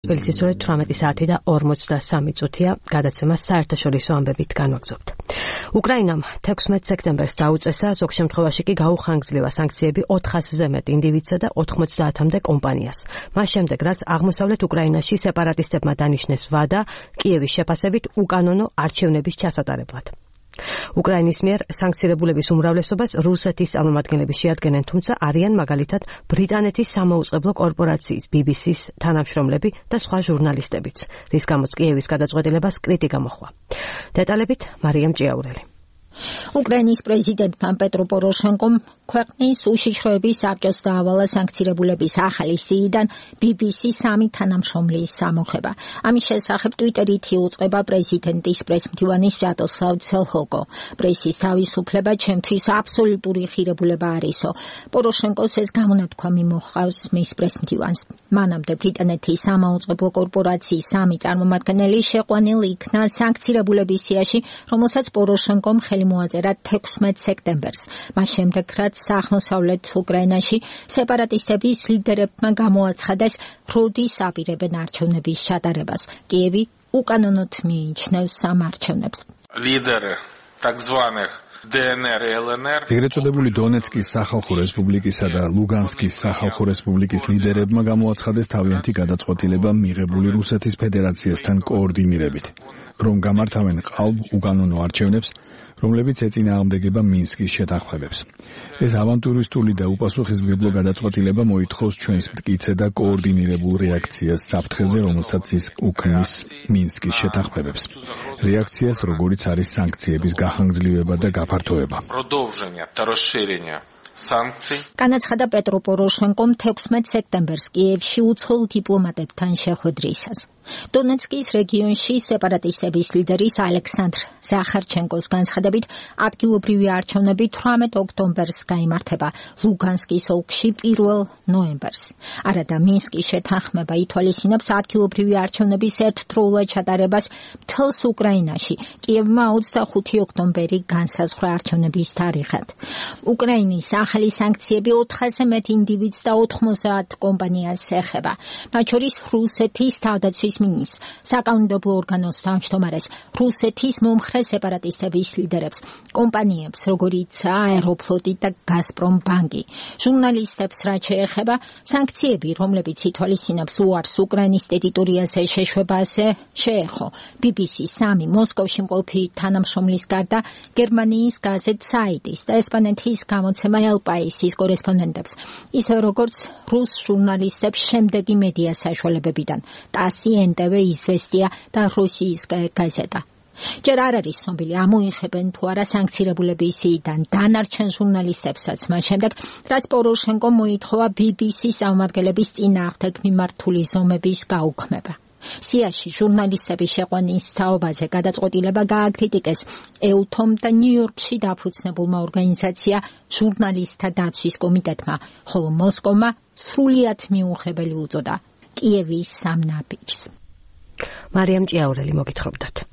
თბილისის 18 საათი და 43 წუთია გადაცემა საერთაშორისო ამბებით განვაგრძობთ. უკრაინამ 16 სექტემბერს დაუწესა, ზოგ შემთხვევაში კი გაუხანგძლива სანქციები 400-ზე მეტ ინდივიდსა და 90-მდე კომპანიას. მას შემდეგ, რაც აღმოსავლეთ უკრაინაში სეპარატისტებმა დანიშნეს ვადა კიევის შეფასებით უკანონო არჩევნების ჩასატარებლად. უკრაინის მიერ სანქცირებულების უმრავლესობას რუსეთის წარმომადგენლები შეადგენენ, თუმცა არიან მაგალითად ბრიტანეთის სამაუწყებლო კორპორაციის BBC-ის თანამშრომლები და სხვა ჟურნალისტებიც, რის გამოც კიევის გადაწყვეტილებას კრიტიკა მოჰყვა. დეტალებით მარიამ ჭიაურელი. უკრაინის პრეზიდენტმა პეტრო პოროშენკომ ქვეყნის უშიშროების საბჭოს დაავალა სანქცირებულების ახალი სიიდან BBC-ის 3 თანამშრომლის სამოხება. ამის შესახებ ტვიტერით იუწყება პრეზიდენტის პრესმდივანი სვიატოსლავ ცელჰოკო. პრესის თავისუფლება ჩემთვის აბსოლუტური ღირებულება არისო. პოროშენკოს ეს გამონათქვამი მოჰყავს მის პრესმდივანს. მანამდე ბრიტანეთის სამაუწყებლო კორპორაციის 3 წარმომადგენელი შეყვანილ იქნა სანქცირებულების სიაში, რომელსაც პოროშენკომ მოაწერა 16 სექტემბერს. მას შემდეგ, რაც აღმოსავლეთ უკრაინაში სეპარატისტების ლიდერებმა გამოაცხადეს, როდის აპირებენ არჩევნების ჩატარებას. კიევი უკანონოდ მიიჩნევს ამ არჩევნებს. ლიდერი так званых DNR, LNR. ეგრეთ წოდებული დონეცკის სახალხო რესპუბლიკისა და ლუგანსკის სახალხო რესპუბლიკის ლიდერებმა გამოაცხადეს თავიანთი გადაწყვეტილება მიღებული რუსეთის ფედერაციასთან კოორდინირებით, რომ გამართავენ ყალბ უკანონო არჩევნებს, რომლებიც ეწინააღმდეგება მინსკის შეთანხმებებს. ეს ავანტურისტული და უპასუხისმგებლო გადაწყვეტილება მოითხოვს ჩვენს მტკიცე და კოორდინირებულ რეაქციას საფრთხეზე, რომელსაც ის უქმნის მინსკის შეთანხმებებს. რეაქციას, როგორიც არის სანქციების გახანგრძლივება და გაფართოება. განაცხადა პეტრო პოროშენკომ 16 სექტემბერს კიევში უცხოელ დიპლომატებთან შეხვედრისას. დონეცკის რეგიონში სეპარატისტების ლიდერის ალექსანდრ ზახარჩენკოს განცხადებით ადგილობრივი არჩევნები 18 ოქტომბერს გაიმართება, ლუგანსკის ოლქში 1 ნოემბერს. არადა მინსკის შეთანხმება ითვალისწინებს ადგილობრივი არჩევნების ერთდროულად ჩატარებას მთელს უკრაინაში. კიევმა 25 ოქტომბერი განსაზღვრა არჩევნების თარიღად. უკრაინის ახალი სანქციები 400-ზე მეტ ინდივიდს და 90 კომპანიას ეხება. მათ შორის რუსეთის თავდაცვის მინისტრს, საკანონმდებლო ორგანოს თავმჯდომარეს, რუსეთის მომხრე სეპარატისტების ლიდერებს, კომპანიებს, როგორიც აეროფლოტი და გაზპრომ ბანკი. ჟურნალისტებს რაც შეეხება, სანქციები, რომლებიც ითვალისწინებს უარს უკრაინის ტერიტორიაზე შეშვებაზე, შეეხო BBC-ის 3 მოსკოვში მყოფი თანამშრომლის გარდა გერმანიის გაზეთ საიტის და ესპანეთის გამოცემა El País-ის კორესპონდენტებს, ისე როგორც რუს ჟურნალისტებს შემდეგი მედია საშუალებებიდან, TASS, NTV, Izvestia და Rossiyskaya gazeta. ჯერ არ არის ცნობილი ამოიღებენ თუ არა სანქცირებულების სიიდან დანარჩენ ჟურნალისტებსაც მას შემდეგ, რაც პოროშენკომ მოითხოვა BBC-ის წარმომადგენლების წინააღმდეგ მიმართული ზომების გაუქმება. სიაში ჟურნალისტების შეყვანის თაობაზე გადაწყვეტილება გააკრიტიკეს EUTOM და ნიუ-იორკში დაფუძნებულმა ორგანიზაცია ჟურნალისტთა დაცვის კომიტეტმა, ხოლო მოსკოვმა სრულიად მიუღებელი უწოდა კიევის სამ ნაბიჯს. მარიამ ჭიაურელი მოგითხრობდათ.